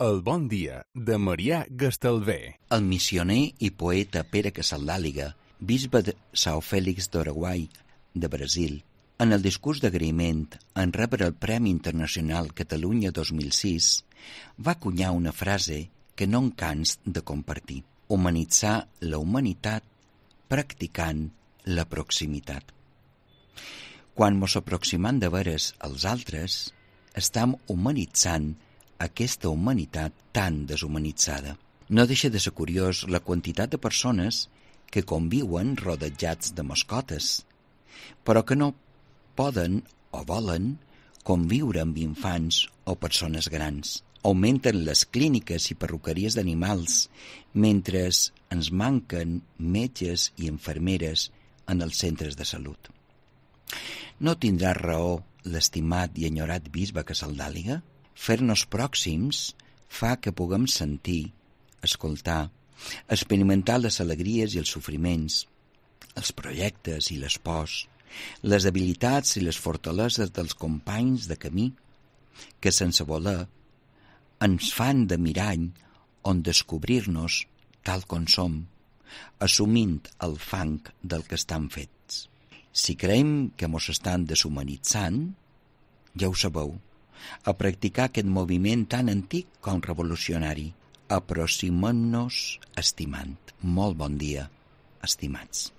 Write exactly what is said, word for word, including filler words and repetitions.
El bon dia de Marià Gastalver. El missioner i poeta Pere Casaldàliga, bisbe de São Félix do Araguai, de Brasil, en el discurs d'agraïment en rebre el Premi Internacional Catalunya dos mil sis, va acunyar una frase que no em cans de compartir: humanitzar la humanitat practicant la proximitat. Quan mos aproximam de veres als altres, estam humanitzant aquesta humanitat tan deshumanitzada. No deixa de ser curiós la quantitat de persones que conviuen rodejats de mascotes, però que no poden o volen conviure amb infants o persones grans. Augmenten les clíniques i perruqueries d'animals, mentre ens manquen metges i infermeres en els centres de salut. No tindrà raó l'estimat i enyorat bisbe Casaldàliga? Fer-nos pròxims fa que puguem sentir, escoltar, experimentar les alegries i els sofriments, els projectes i les pors, les habilitats i les fortaleses dels companys de camí, que sense voler ens fan de mirall on descobrir-nos tal com som, assumint el fang del que estan fets. Si creiem que mos estan deshumanitzant, ja ho sabeu, a practicar aquest moviment tan antic com revolucionari. Aproximem-nos estimant. Molt bon dia, estimats.